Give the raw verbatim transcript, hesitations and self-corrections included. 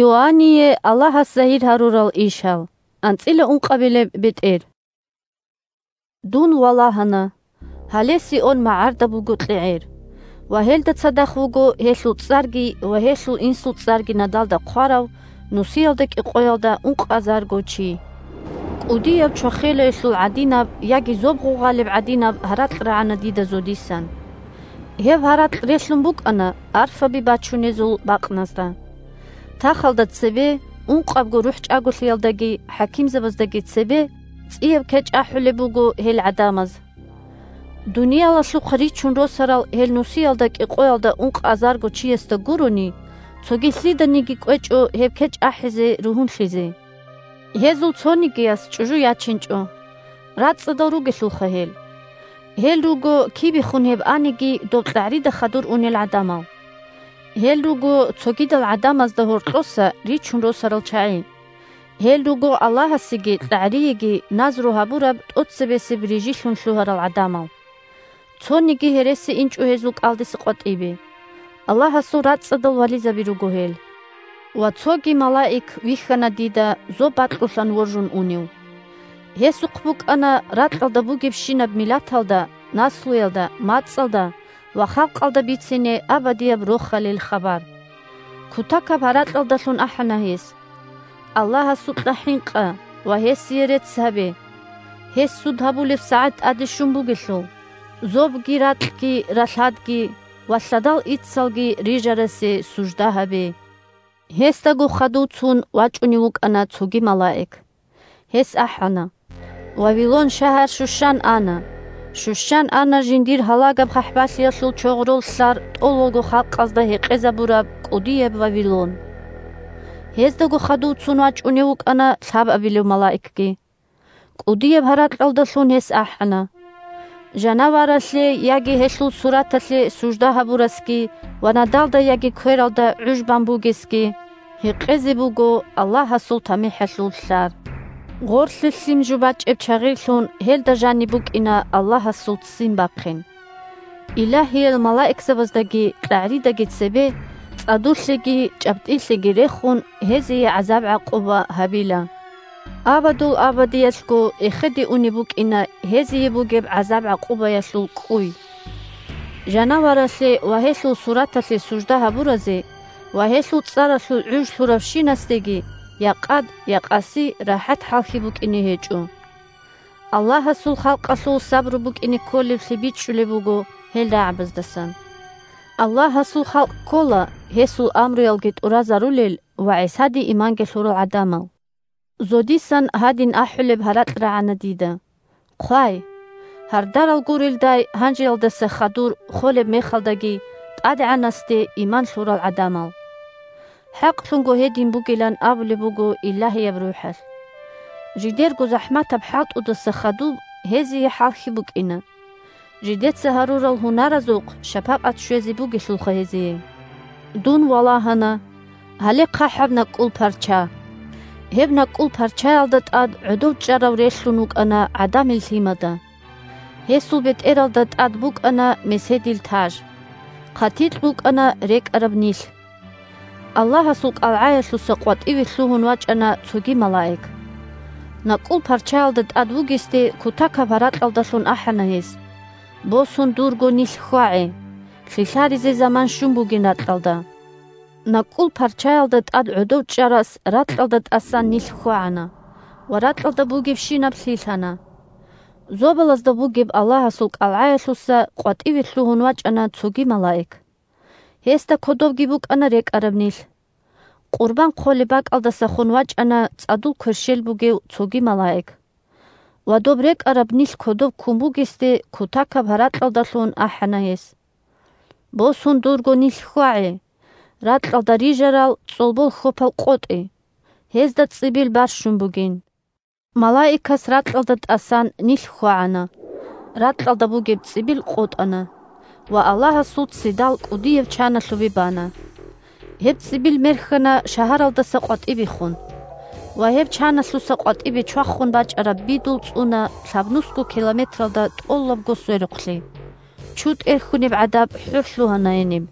Иоанние Аллагьас загьир гьарурал ишал. АнцӀила ункъабилеб бетӀер. Дун валагьана. Гьале Сион магӀарда буго кьегӀер. Ва гьелда цадахъ вуго гьелъул цӀарги ва гьелъул инсул цӀарги надалда хъварав, нусиялда кӀикъоялда ункъазарго чи. КӀудияб чвахелаялъул гӀадинаб яги зоб гъугъалеб гӀадинаб гьаракь рагӀана дида зодисан. Гьеб гьаракь релълъун букӀана арфаби бачунезул бакъназда. Тахалда цебе, ункъабго рухӀчӀаголъиялдаги хӀакимзабаздаги цебе, цӀияб кечӀ ахӀулеб буго гьел гӀадамаз. Дуниялалъухъ ричун росарал гьел нусиялда кӀикъоялда ункъазарго чиясда гурони, цоги лъиданиги кӀвечӀо гьеб кечӀ ахӀизе ругьунлъизе. Гьезул цонигияс чӀужу ячинчӀо. РацӀцӀадал ругелъулха гьел. Гьел руго кибехун гьеб аниги доб кьагӀрида хадур унел гӀадамал. Гьел руго цогидал гӀадамазда гьоркьоса ричун росарал чагӀи. Гьел руго Аллагьасеги кьагӀриеги назру гьабураб тӀоцебесеб рижилъун лъугьарал гӀадамал. Цониги гьереси инчӀо гьезул кӀалдиса къватӀибе. Аллагьасул рацӀцӀадал вализаби руго гьел. Ва цоги малаик вихьана дида зоб бакьулъан воржун унев. Гьесухъ букӀана ракьалда бугебщинаб миллаталда, наслуялда, мацӀалда ва халкъалда бицине абадияб рохалил хабар. Кутакаб гьаракьалдалъун ахӀана гьес: «Аллагьасукьа хӀинкъа ва гьесие рецц гьабе. Гьес суд гьабулеб сагӀат тӀаде щун бугелъул, зобги, ракьги, ралъадги ва лъадал иццалги рижарасе сужда гьабе». Гьесдаго хадув цун вачӀунев вукӀана цоги малаик. Гьес ахӀана: «Вавилон шагьар щущан ана! Щущан ана жиндир гьалагаб хъахӀбалъиялъул чогърол лъар тӀолалго халкъазда гьекъезабураб кӀудияб Вавилон!» Гьездаго хадув цун вачӀунев вукӀана лъабабилев малаикги. КӀудияб гьаракьалдалъун гьес ахӀана: «Жанаваралъе яги гьелъул сураталъе сужда гьабурасги ва надалда яги квералда гӀуж бан бугесги, гьекъезе буго Аллагьасул тамихӀалъул лъар. Гъорлъе лъим жо бачӀеб чагъирлъун гьелда жаниб букӀина Аллагьасул ццин бахъин». Илагьиял малаикзабаздаги кьагӀридаги цебе цӀадулъеги чӀаптӀилъеги рехун, гьезие гӀазаб-гӀакъуба гьабила. Абадул абадиялъго эхеде унеб букӀина гьезие бугеб гӀазаб-гӀакъубаялъул кӀуй. Жанаваралъе ва гьелъул сураталъе сужда гьабуразе ва гьелъул цӀаралъул гӀуж лъуравщинасдеги я къад, я къаси рахӀат хӀалхьи букӀине гьечӀо. Аллагьасул халкъалъул сабру букӀине кколеблъи бичӀчӀулеб буго гьел рагӀабаздасан. Аллагьасул халкъ ккола гьесул амруялги тӀуразарулел ва ГӀисаде иманги лъурал гӀадамал. Зодисан гьадин ахӀулеб гьаракь рагӀана дида: «Хъвай, гьардарал гурелдай гьанжеялдаса хадур холеб мехалдаги ТӀадегӀанасде иман лъурал гӀадамал». ХӀакълъунго гьедин бугилан абулеб буго Илагьияб РухӀалъ. Жидерго захӀматаб хӀалтӀудаса хадуб гьезие хӀалхьи букӀина. Жидеца гьарурал гьунаразухъ шапакъат щвезе бугелъулха гьезие. Дун валагьана, гьале хъахӀаб накӀкӀул парча. Гьеб накӀкӀул парчаялда тӀад гӀодов чӀарав релълъун вукӀана гӀадамил лъимада. Гьесул бетӀералда тӀад букӀана меседил таж. ХъатикьбукӀана рекӀараб нилъ. Аллагьасул кӀалгӀаялъуса къватӀиве лъугьун вачӀана цоги малаик. НакӀкӀул парчаялда тӀад вугесде кутакаб гьаракьалдалъун ахӀана гьес: «Босун дурго нилъ хьвагӀе, лъилъаризе заман щун бугин ракьалда». НакӀкӀул парчаялда тӀад гӀодов чӀарас ракьалда тӀасан нилъ хьвагӀана ва ракьалда бугебщинаб лъилъана. Зобалазда бугеб Аллагьасул кӀалгӀаялъуса къватӀиве лъугьун вачӀана цоги малаик. Гьесда кодобги букӀана рекӀараб нилъ. Къурбан хъолеб бакӀалдасахун вачӀана цӀадул кверщел бугев цоги малаик. Ва доб рекӀараб нилъ кодоб ккун бугесде кутакаб гьаракьалдалъун ахӀана гьес: «Босун дурго нилъ хьвагӀе, ракьалда рижарал цӀолбол хьопал къотӀе, гьезда цӀибил барщун бугин». Малаикас ракьалда тӀасан нилъ хьвагӀана, ракьалда бугеб цӀибил къотӀана ва Аллагьасул ццидал кӀудияб чаналъубе бана. Гьеб цӀибил мерхьана шагьаралдаса къватӀибехун. Ва гьеб чаналъуса къватӀибе чвахун бачӀараб бидул цӀуна лъабнусго километралда тӀолабго сверухълъи. ЧутӀер хьунеб гӀадаб хӀур лъугьана гьениб.